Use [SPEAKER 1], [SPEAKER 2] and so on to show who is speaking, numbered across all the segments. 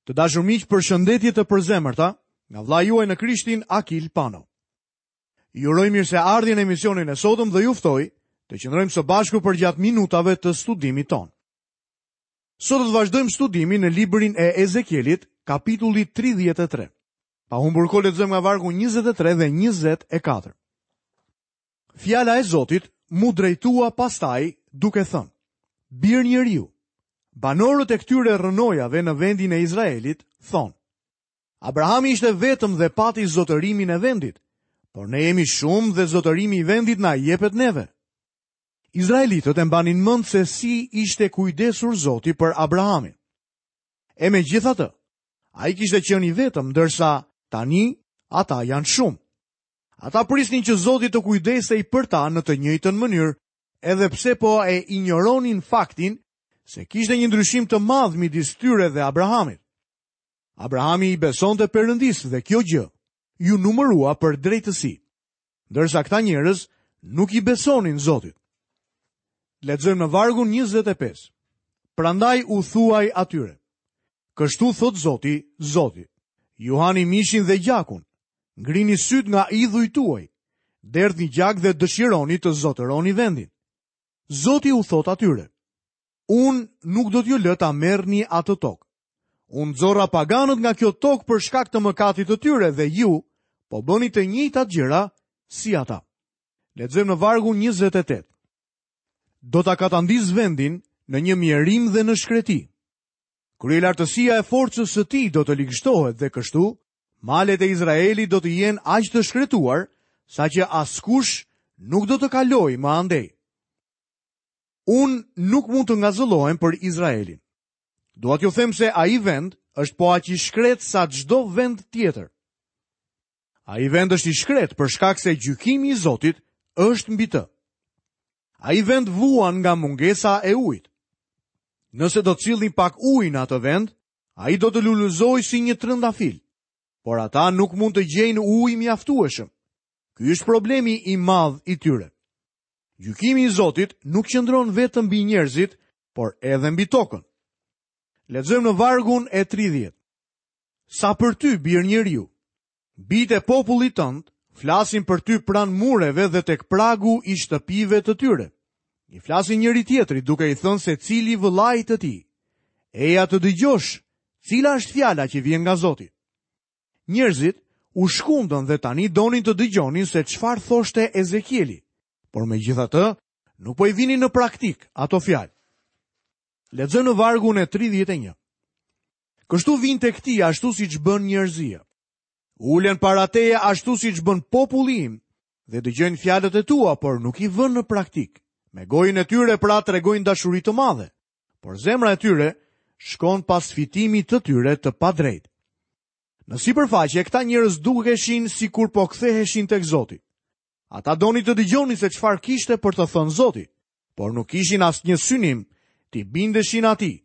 [SPEAKER 1] Të dashur miq, përshëndetje të përzemërta nga vëllai juaj në Krishtin Akil Pano. Ju uroj mirëseardhjen në emisionin e sotëm dhe ju ftoj të qëndrojmë së bashku përgjatë minutave të studimit tonë. Sot do të vazhdojmë studimin në librin e Ezekielit, kapitulli 33. Pa humbur kohë lexojmë nga vargu 23 dhe 24. Fjala e Zotit m'u drejtua pastaj duke thënë: Bir njeriu, banorët e këtyre rrënojave në vendin e Izraelit thonë: Abrahami ishte vetëm dhe pati zotërimin e vendit, por ne jemi shumë dhe zotërimi i vendit na jepet neve. Izraelitët e mbanin mend se si ishte kujdesur Zoti për Abrahamin. E megjithatë, ai kishte qenë i vetëm, ndërsa tani ata janë shumë. Ata prisnin që Zoti të kujdesej për ta në të njëjtën mënyrë, edhe pse po e injoronin faktin se kishte një ndryshim të madh midis tyre dhe Abrahamit. Abrahami i besonte Perëndisë dhe kjo gjë iu numërua për drejtësi, ndërsa këta njerëz nuk i besonin Zotit. Lexojmë në vargun 25. Prandaj u thuaj atyre: Kështu thotë Zoti, Zoti, ju hani mishin dhe gjakun, Ngrini sytë nga idhujt tuaj, derdhni gjak dhe dëshironi të zotëroni vendin. Zoti u thotë atyre, unë nuk do t'ju lë ta merrni atë tokë. Unë nxora paganët nga kjo tokë për shkak të mëkatit të tyre dhe ju po bëni të njëjtat gjëra si ata. Lexojmë në vargun 28. Do ta katandis vendin në një mjerim dhe në shkreti. Kryelartësia e forcës së tij do të ligështohet dhe kështu Malet e Izraelit do të jenë aq të shkretuar, saqë askush nuk do të kalojë më andej. Unë nuk mund të ngazëllohem për Izraelin. Dua t'ju them se ai vend është po aq i shkretë sa çdo vend tjetër. Ai vend është i shkretë për shkak se gjykimi i Zotit është mbi të. Ai vend vuan nga mungesa e ujit. Nëse do të sillni pak ujë në atë vend, Ai do të lulëzojë si një trëndafil, por ata nuk mund të gjejnë ujë mjaftueshëm. Ky është problemi i madh i tyre. Gjykimi i Zotit nuk qëndron vetëm mbi njerëzit, por edhe mbi tokën. Lexojmë në vargun e 30. Sa për ty, bir njeriu, bijtë e popullit tënd flasin për ty pranë mureve dhe tek pragu i shtëpive të tyre. I flasin njëri-tjetrit duke i thënë secili vëllait të tij. Eja të dëgjosh, cila është fjala që vjen nga Zoti. Njerëzit u shkundën dhe tani donin të dëgjonin se çfarë thoshte Ezekieli, por megjithatë nuk po i vinin në praktikë ato fjalë. Lexojmë në vargun e 31. Kështu vijnë tek ti ashtu siç bën njerëzia. Ulen para teje ashtu siç bën populli im dhe dëgjojnë fjalët e tua, por nuk i vënë në praktikë. Me gojën e tyre pra tregojnë dashuri të madhe, por zemra e tyre shkon pas fitimit të tyre të padrejtë. Në sipërfaqe këta njerëz dukeshin sikur po ktheheshin tek Zoti. Ata donin të dëgjonin se çfarë kishte për të thënë Zoti, por nuk kishin asnjë synim t'i bindeshin atij.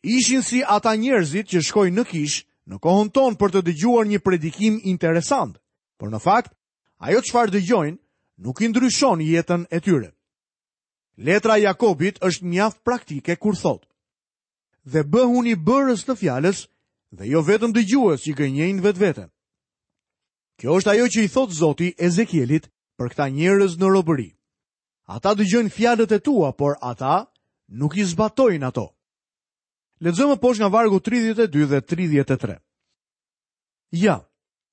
[SPEAKER 1] Ishin si ata njerëzit që shkojnë në kishë në kohën tonë për të dëgjuar një predikim interesant, por në fakt, ajo çfarë dëgjojnë nuk i ndryshon jetën e tyre. Letra e Jakobit është mjaft praktike kur thotë: Dhe bëhuni bërës të fjalës dhe jo vetëm dëgjues që gënjejnë vetveten. Kjo është ajo që i thotë Zoti Ezekielit për këta njerëz në robëri. Ata dëgjojnë fjalët e tua, por ata nuk i zbatojnë ato. Lexojmë më poshtë nga vargu 32 dhe 33. Ja,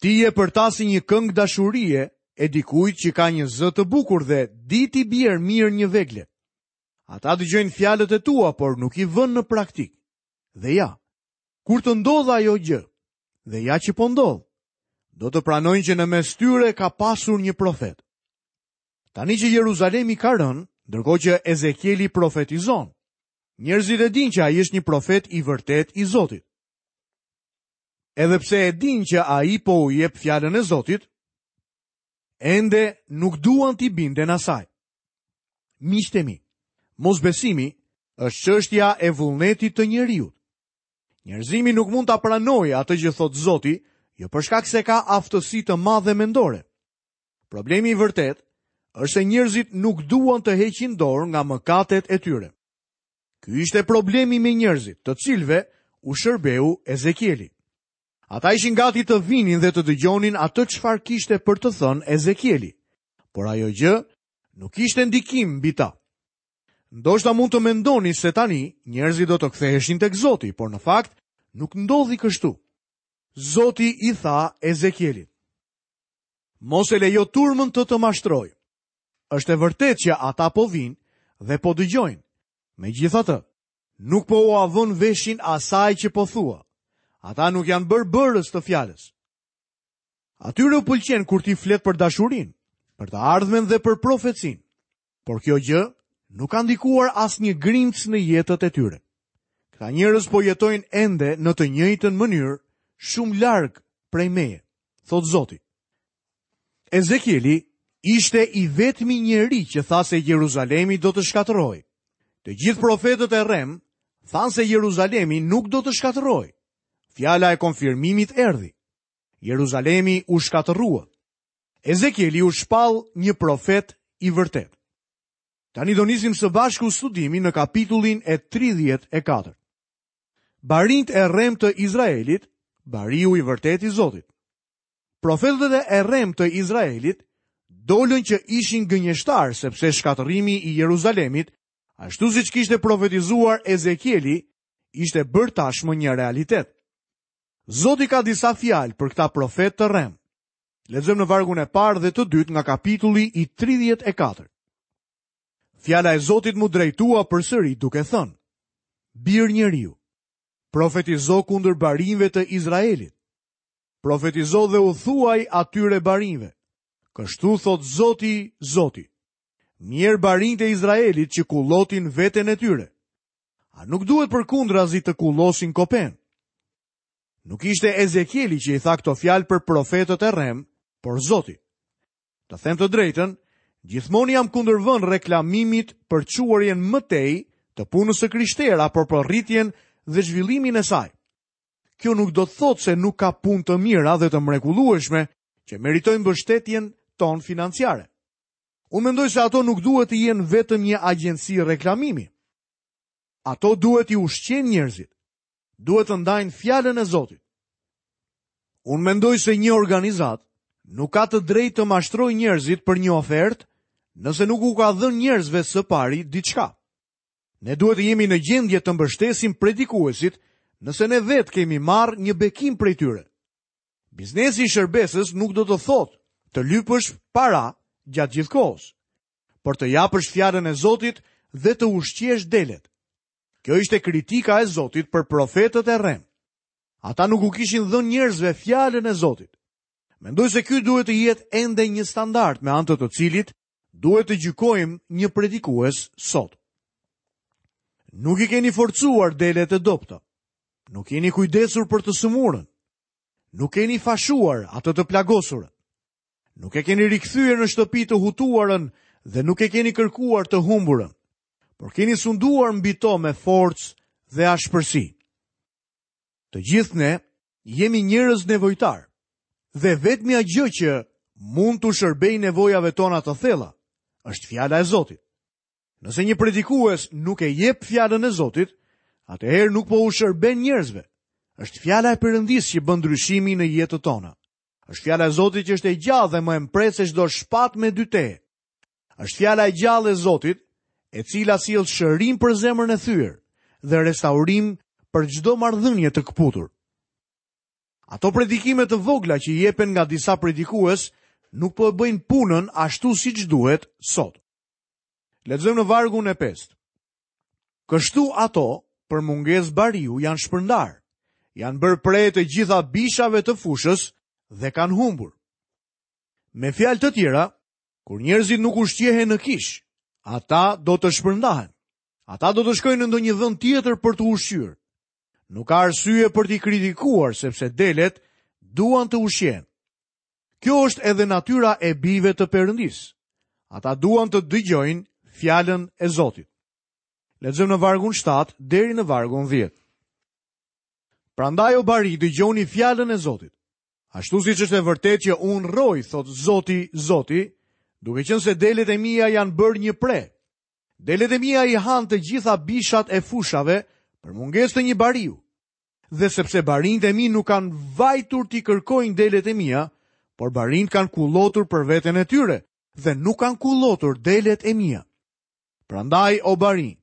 [SPEAKER 1] ti je për ta si një këngë dashurie e dikujt që ka një zë të bukur dhe di t'i bjerë mirë një vegle. Ata dëgjojnë fjalët e tua, por nuk i vënë në praktikë. Dhe ja, kur të ndodhë ajo gjë, dhe ja që po ndodh, do të pranojnë që në mes tyre ka pasur një profet. Tani që Jeruzalemi ka rënë, ndërkohë që Ezekieli profetizon, njerëzit e dinë që ai është një profet i vërtetë i Zotit. Edhe pse e dinë që ai po u jep fjalën e Zotit, ende nuk duan t'i binden asaj. Miqtë e mi, mosbesimi është çështja e vullnetit të njeriut. Njerëzimi nuk mund ta pranojë atë që thotë Zoti, jo për shkak se ka aftësi të madhe mendore. Problemi i vërtetë është se njerëzit nuk duan të heqin dorë nga mëkatet e tyre. Ky ishte problemi me njerëzit, të cilëve u shërbeu Ezekieli. Ata ishin gati të vinin dhe të dëgjonin atë çfarë kishte për të thënë Ezekieli, por ajo gjë nuk kishte ndikim mbi ta. Ndoshta mund të mendoni se tani njerëzit do të ktheheshin tek Zoti, por në fakt nuk ndodhi kështu. Zoti i tha Ezekielit: Mos e lejo turmën të të mashtrojë. Është e vërtetë që ata po vijnë dhe po dëgjojnë. Megjithatë, nuk po ua vënë veshin asaj që po thua. Ata nuk janë bërë bërës të fjalës. Atyre u pëlqen kur ti flet për dashurinë, për të ardhmen dhe për profecinë. Por kjo gjë nuk ka ndikuar asnjë grimcë në jetët e tyre. Këta njerëz po jetojnë ende në të njëjtën mënyrë, shumë larg prej meje, thotë Zoti. Ezekieli ishte i vetmi njeri që tha se Jeruzalemi do të shkatërrohej. Të gjithë profetët e rremë thanë se Jeruzalemi nuk do të shkatërrohej. Fjala e konfirmimit erdhi. Jeruzalemi u shkatërrua. Ezekieli u shpall një profet i vërtetë. Tani do nisim së bashku studimin në kapitullin e 34. Barinjtë e rremë të Izraelit, bariu i vërtetë i Zotit. Profetët e rremë të Izraelit dolën që ishin gënjeshtarë sepse shkatërrimi i Jeruzalemit, ashtu siç kishte profetizuar Ezekieli, ishte bërë tashmë një realitet. Zoti ka disa fjalë për këta profetë të rremë. Lexojmë në vargun e parë dhe të dytë nga kapitulli i 34. Fjala e Zotit m'u drejtua përsëri duke thënë: Bir njeriu, profetizo kundër barinjve të Izraelit. Profetizo dhe u thuaj atyre barinjve. Kështu thotë Zoti, Zoti. Mjerë barinjtë e Izraelit që kullotin veten e tyre. A nuk duhet përkundrazi të kullosin kopenë? Nuk ishte Ezekieli që i tha këto fjalë për profetët e rremë, por Zoti. Të them të drejtën, gjithmonë i jam kundërvënë reklamimit për çuarjen më tej të punës së krishterë apo për rritjen dhe zhvillimin e saj. Kjo nuk do të thotë se nuk ka punë të mira dhe të mrekullueshme që meritojnë mbështetjen tonë financiare. Unë mendoj se ato nuk duhet të jenë vetëm një agjenci reklamimi. Ato duhet t'i ushqejnë njerëzit. Duhet të ndajnë fjalën e Zotit. Unë mendoj se një organizatë nuk ka të drejtë të mashtrojë njerëzit për një ofertë nëse nuk u ka dhënë njerëzve së pari diçka. Ne duhet të jemi në gjendje të mbështesim predikuesit nëse ne vetë kemi marrë një bekim prej tyre. Biznesi i shërbesës nuk do të thotë të lypësh para gjatë gjithë kohës, por të japësh fjalën e Zotit dhe të ushqesh delet. Kjo ishte kritika e Zotit për profetët e rremë. Ata nuk u kishin dhënë njerëzve fjalën e Zotit. Mendoj se ky duhet të jetë ende një standard me anë të të cilit duhet të gjykojmë një predikues sot. Nuk i keni forcuar delet e dobëta. Nuk jeni kujdesur për të sëmurën. Nuk keni fashuar atë të plagosurën. Nuk e keni rikthyer në shtëpi të hutuarën dhe nuk e keni kërkuar të humburën, por keni sunduar mbi to me forcë dhe ashpërsi. Të gjithë ne jemi njerëz nevojtarë dhe e vetmja gjë që mund t'u shërbejë nevojave tona të thella është fjala e Zotit. Nëse një predikues nuk e jep fjalën e Zotit, atëherë nuk po u shërben njerëzve. Është fjala e Perëndisë që bën ndryshimin në jetët tona. Është fjala e Zotit që është e gjallë dhe më e mprehtë se çdo shpatë me dy tehe. Është fjala e gjallë e Zotit, e cila sjell shërim për zemrën e thyer dhe restaurim për çdo marrëdhënie të këputur. Ato predikime të vogla që jepen nga disa predikues nuk po e bëjnë punën ashtu siç duhet sot. Lexojmë në vargun e 5. Kështu ato, për mungesë bariu, janë shpërndarë, janë bërë pre e të gjitha bishave të fushës dhe kanë humbur. Me fjalë të tjera, kur njerëzit nuk ushqehen në kishë, ata do të shpërndahen. Ata do të shkojnë në ndonjë vend tjetër për t'u ushqyer. Nuk ka arsye për t'i kritikuar sepse delet duan të ushqehen. Kjo është edhe natyra e bijve të Perëndisë. Ata duan të dëgjojnë fjalën e Zotit. Lexojmë në vargun 7 deri në vargun 10. Prandaj o barinj dëgjoni fjalën e Zotit. Ashtu siç është e vërtetë që unë rroj, thotë Zoti, Zoti, duke qenë se delet e mia janë bërë një pre. Delet e mia i hanë të gjitha bishat e fushave për mungesë të një bariu. Dhe sepse barinjtë e mi nuk kanë vajtur t'i kërkojnë delet e mia, por barinjtë kanë kullotur për veten e tyre dhe nuk kanë kullotur delet e mia. Prandaj o barinj,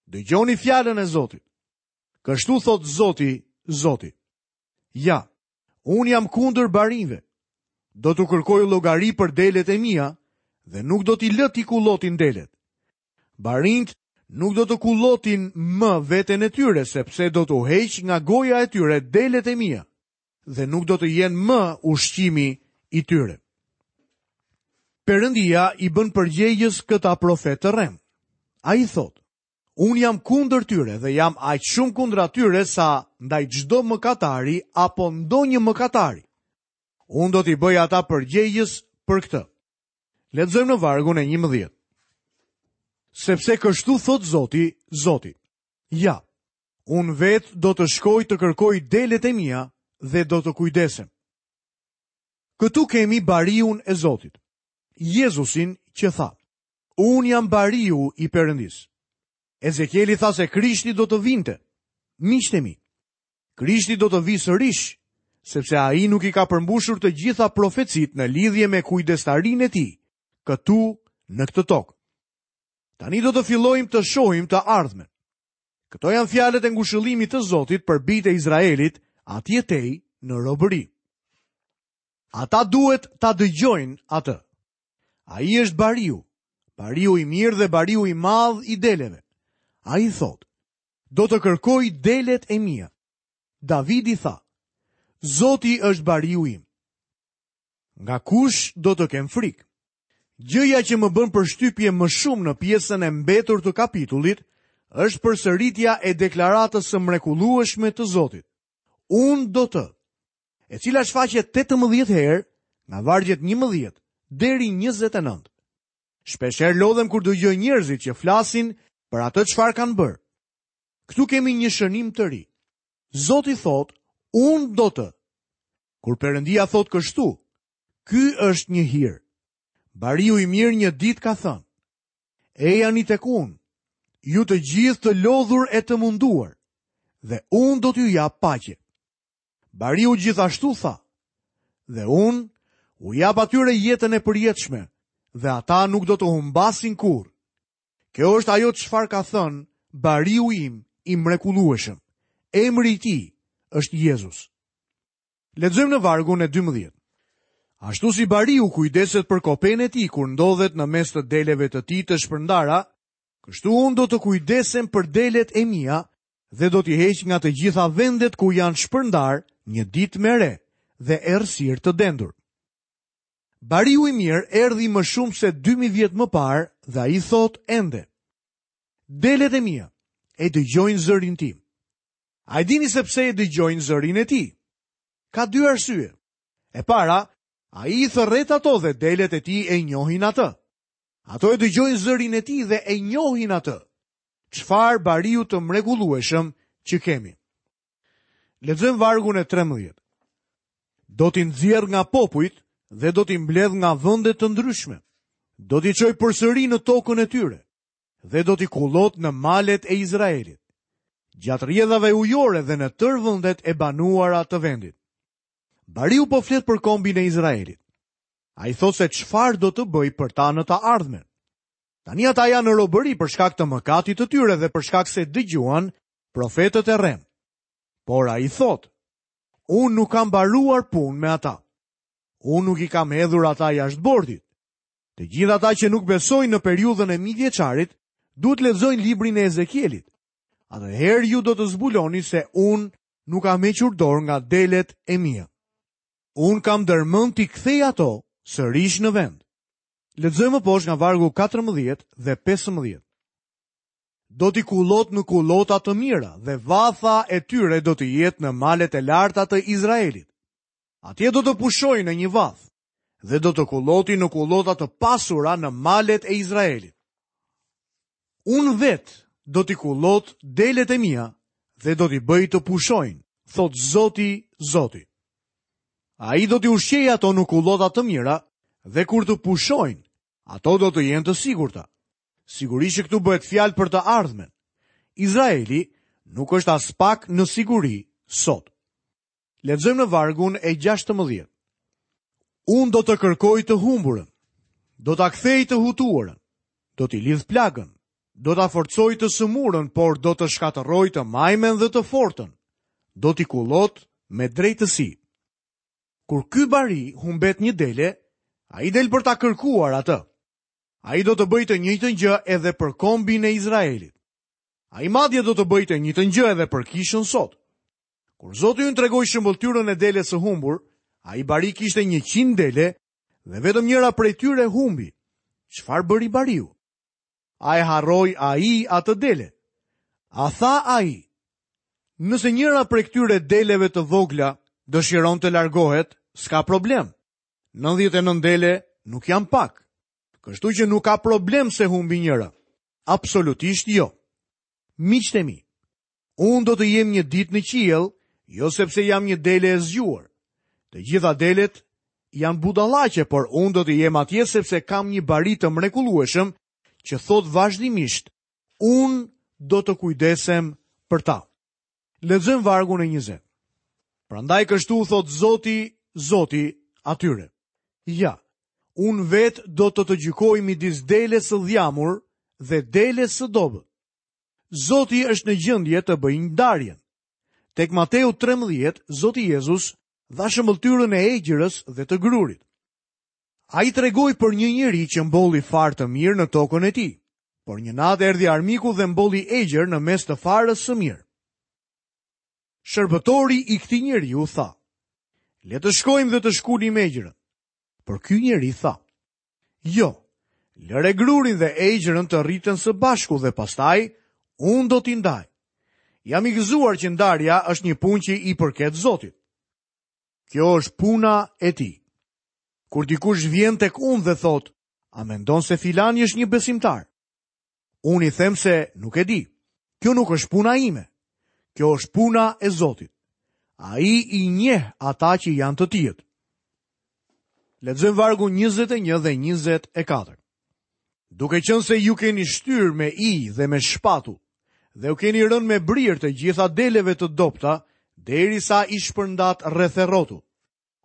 [SPEAKER 1] dëgjoni fjalën e Zotit. Kështu thotë Zoti, Zoti. Ja, unë jam kundër barinjve. Do t'u kërkoj llogari për delet e mia dhe nuk do t'i lë t'i kullotin delet. Barinjtë nuk do të kullotin më veten e tyre, sepse do t'u heq nga goja e tyre delet e mia dhe nuk do të jenë më ushqimi i tyre. Perëndia i bën përgjegjës këta profetë të rremë. Ai thotë, unë jam kundër tyre dhe jam aq shumë kundra tyre sa ndaj çdo mëkatari apo ndonjë mëkatari. Unë do t'i bëj ata përgjegjës për këtë. Lexojmë në vargun e 11. Sepse kështu thotë Zoti, Zoti. Ja, unë vetë do të shkoj të kërkoj delet e mia dhe do të kujdesem. Këtu kemi bariun e Zotit, Jezusin që tha, unë jam bariu i Perëndisë. Ezekieli tha se Krishti do të vinte, miqtë e mi. Krishti do të vijë sërish, sepse ai nuk i ka përmbushur të gjitha profecitë në lidhje me kujdestarinë e tij, këtu në këtë tokë. Tani do të fillojmë të shohim të ardhmen. Këto janë fjalët e ngushëllimit të Zotit për bijtë e Izraelit atje tej në robëri. Ata duhet ta dëgjojnë atë. Ai është bariu, bariu i mirë dhe bariu i madh i deleve. Ai thotë, do të kërkoj delet e mia. Davidi tha, Zoti është bariu im. Nga kush do të kem frikë? Gjëja që më bën përshtypje më shumë në pjesën e mbetur të kapitullit është përsëritja e deklaratës së mrekullueshme të Zotit. Unë do të, e cila shfaqet 18 herë nga vargjet 11 deri 29. Shpeshherë lodhem kur dëgjoj njerëzit që flasin për atë çfarë kanë bërë. Këtu kemi një shënim të ri. Zoti thotë, unë do të. Kur Perëndia thotë kështu, ky është një hir. Bariu i mirë një ditë ka thënë, ejani tek unë, ju të gjithë të lodhur e të munduar, dhe unë do t'ju jap paqe. Bariu gjithashtu tha, dhe unë u jap atyre jetën e përjetshme, dhe ata nuk do të humbasin kurrë. Kjo është ajo çfarë ka thënë bariu im i mrekullueshëm. Emri i tij është Jezus. Lexojmë në vargun e 12. Ashtu si bariu kujdeset për kopenë e tij kur ndodhet në mes të deleve të tij të shpërndara, kështu unë do të kujdesem për delet e mia dhe do t'i heq nga të gjitha vendet ku janë shpërndarë një ditë me re dhe errësirë të dendur. Bariu i mirë erdhi më shumë se 2000 vjet më parë dhe ai thotë ende. Delet e mia e dëgjojnë zërin tim. A e dini se pse e dëgjojnë zërin e tij? Ka dy arsye. E para, ai i thërret ato dhe delet e tij e njohin atë. Ato e dëgjojnë zërin e tij dhe e njohin atë. Çfarë bariu të mrekullueshëm që kemi. Lexojmë vargun e 13. Do t'i nxjerr nga popujt dhe do t'i mbledh nga vende të ndryshme. Do t'i çoj përsëri në tokën e tyre dhe do t'i kullot në malet e Izraelit. Gjatë rrjedhave ujore dhe në tërë vendet e banuara të vendit. Bariu po flet për kombin e Izraelit. Ai thotë se çfarë do të bëjë për ta në të ardhmen. Tani ata janë në robëri për shkak të mëkatit të tyre dhe për shkak se dëgjuan profetët e rremë. Por ai thotë, unë nuk kam mbaruar punë me ata. Unë nuk i kam hedhur ata jashtë bordit. Të gjithë ata që nuk besojnë në periudhën e mijëvjeçarit, duhet të lexojnë librin e Ezekielit. Atëherë ju do të zbuloni se unë nuk kam hequr dorë nga delet e mia. Unë kam ndërmend t'i kthej ato sërish në vend. Lexojmë më poshtë nga vargu 14 dhe 15. Do t'i kullot në kullota të mira dhe vatha e tyre do të jetë në malet e larta të Izraelit. Atje do të pushojnë në një vathë dhe do të kullotin në kullota të pasura në malet e Izraelit. Unë vetë do t'i kullot delet e mia dhe do t'i bëj të pushojnë, thotë Zoti, Zoti. Ai do t'i ushqejë ato në kullota të mira dhe kur të pushojnë, ato do të jenë të sigurta. Sigurisht që këtu bëhet fjalë për të ardhmen. Izraeli nuk është aspak në siguri sot. Lexojmë në vargun e 16. Unë do të kërkoj të humburën, do ta kthej të hutuarën, do t'i lidh plagën, do ta forcoj të sëmurën, por do të shkatërroj të majmen dhe të fortën, do t'i kullot me drejtësi. Kur ky bari humbet një dele, ai del për ta kërkuar atë. Ai do të bëjë të njëjtën gjë edhe për kombin e Izraelit. Ai madje do të bëjë të njëjtën gjë edhe për kishën sot. Kur Zoti ynë tregoi shëmbëlltyrën e deles së humbur, ai bari kishte 100 dele dhe vetëm njëra prej tyre humbi. Çfarë bëri bariu? A e harroi ai atë dele? A tha ai? Nëse njëra prej këtyre deleve të vogla dëshiron të largohet, s'ka problem. 99 dele nuk janë pak. Kështu që nuk ka problem se humbi njëra. Absolutisht jo. Miqtë e mi, unë do të jem një ditë në qiell, jo sepse jam një dele e zgjuar. Të gjitha delet janë budallaqe, por unë do të jem atje sepse kam një bari të mrekullueshëm që thotë vazhdimisht, unë do të kujdesem për ta. Lexojmë vargun e 20. Prandaj kështu u thotë Zoti, Zoti atyre. Ja, unë vetë do të të gjykoj midis deles së dhjamur dhe deles së dobët. Zoti është në gjendje të bëjë ndarjen. Tek Mateu 13, Zoti Jezus dha shëmbëlltyrën e egjrës dhe të grurit. Ai tregoi për një njeri që mbolli farë të mirë në tokën e tij, por një natë erdhi armiku dhe mbolli egjër në mes të farës së mirë. Shërbëtori i këtij njeriu tha, le të shkojmë dhe të shkulim egjrën. Por ky njeri tha, jo, lëre grurin dhe egjrën të rriten së bashku dhe pastaj unë do t'i ndaj. Jam i gëzuar që ndarja është një punë që i përket Zotit. Kjo është puna e tij. Kur dikush vjen tek unë dhe thotë, a mendon se filani është një besimtar? Unë i them se nuk e di. Kjo nuk është puna ime. Kjo është puna e Zotit. Ai i njeh ata që janë të tijët. Lexojmë vargun 21 dhe 24. Duke qenë se ju keni shtyrë me ijë dhe me shpatull, dhe u keni rënë me brirë të gjitha deleve të dobëta, derisa i shpërndatë rreth e rrotull.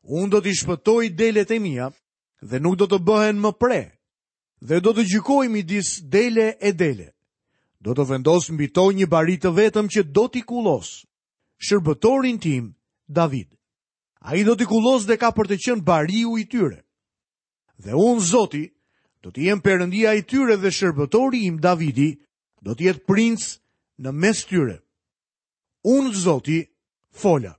[SPEAKER 1] Unë do t'i shpëtoj delet e mia dhe nuk do të bëhen më pre, dhe do të gjykoj midis dele e dele. Do të vendos mbi to një bari të vetëm që do t'i kullosë, shërbëtorin tim, David. Ai do t'i kullosë dhe ka për të qenë bariu i tyre. Dhe unë, Zoti, do të jem perëndia i tyre dhe shërbëtori im, Davidi, do të jetë princ në mes tyre. Unë, Zoti, fola.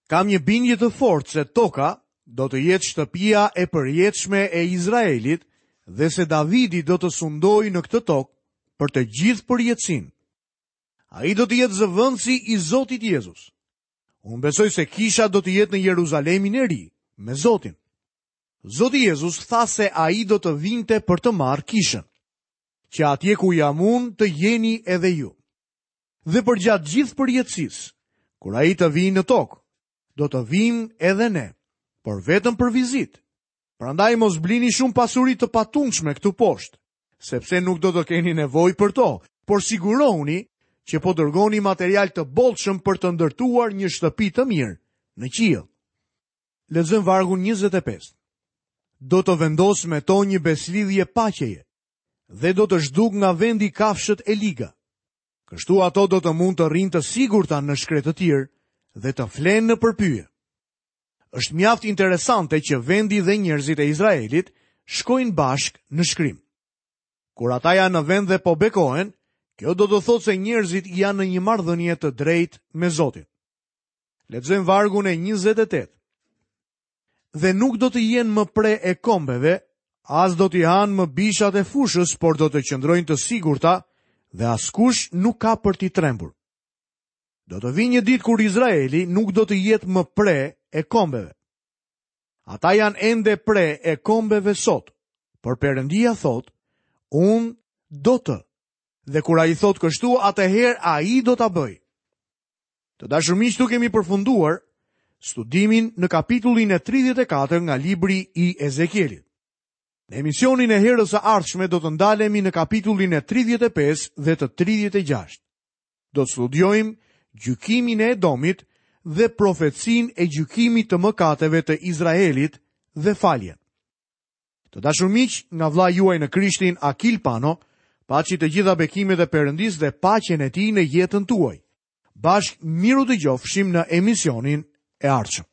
[SPEAKER 1] Kam një bindje të fortë se toka do të jetë shtëpia e përjetshme e Izraelit dhe se Davidi do të sundojë në këtë tokë për të gjithë përjetësinë. Ai do të jetë zëvendësi i Zotit Jezus. Unë besoj se kisha do të jetë në Jeruzalemin e ri me Zotin. Zoti Jezus tha se ai do të vinte për të marrë kishën, që atje ku jam unë të jeni edhe ju. Dhe përgjatë gjithë përjetësisë, kur ai të vijë në tokë, do të vijmë edhe ne, por vetëm për vizitë. Prandaj mos blini shumë pasuri të patundshme këtu poshtë, sepse nuk do të keni nevojë për to, por sigurohuni që po dërgoni material të bollshëm për të ndërtuar një shtëpi të mirë në qiell. Lexojmë vargun 25. Do të vendos me to një besëlidhje paqeje dhe do të zhduk nga vendi kafshët e liga. Kështu ato do të mund të rrinë të sigurta në shkretëtirë dhe të flenë nëpër pyje. Është mjaft interesante që vendi dhe njerëzit e Izraelit shkojnë bashkë në shkrim. Kur ata janë në vend dhe po bekohen, kjo do të thotë se njerëzit janë në një marrëdhënie të drejtë me Zotin. Lexojmë vargun e 28. Dhe nuk do të jenë më pre e kombeve, as do t'i hanë më bishat e fushës, por do të qëndrojnë të sigurta dhe askush nuk ka për t'i trembur. Do të vijë një ditë kur Izraeli nuk do të jetë më pre e kombeve. Ata janë ende pre e kombeve sot, por Perëndia thotë, unë do të. Dhe kur ai thotë kështu, atëherë ai do ta bëjë. Të dashur miq, këtu kemi përfunduar studimin në kapitullin e 34 nga libri i Ezekielit. Në emisionin e herës së ardhshme do të ndalemi në kapitullin e 35 dhe të 36. Do të studiojmë gjykimin e Edomit dhe profecinë e gjykimit të mëkateve të Izraelit dhe faljen. Të dashur miq, nga vëllai juaj në Krishtin Akil Pano, paçi të gjitha bekimet e Perëndisë dhe paqen e tij në jetën tuaj. Bashkë mirudëgjofshim në emisionin e ardhshëm.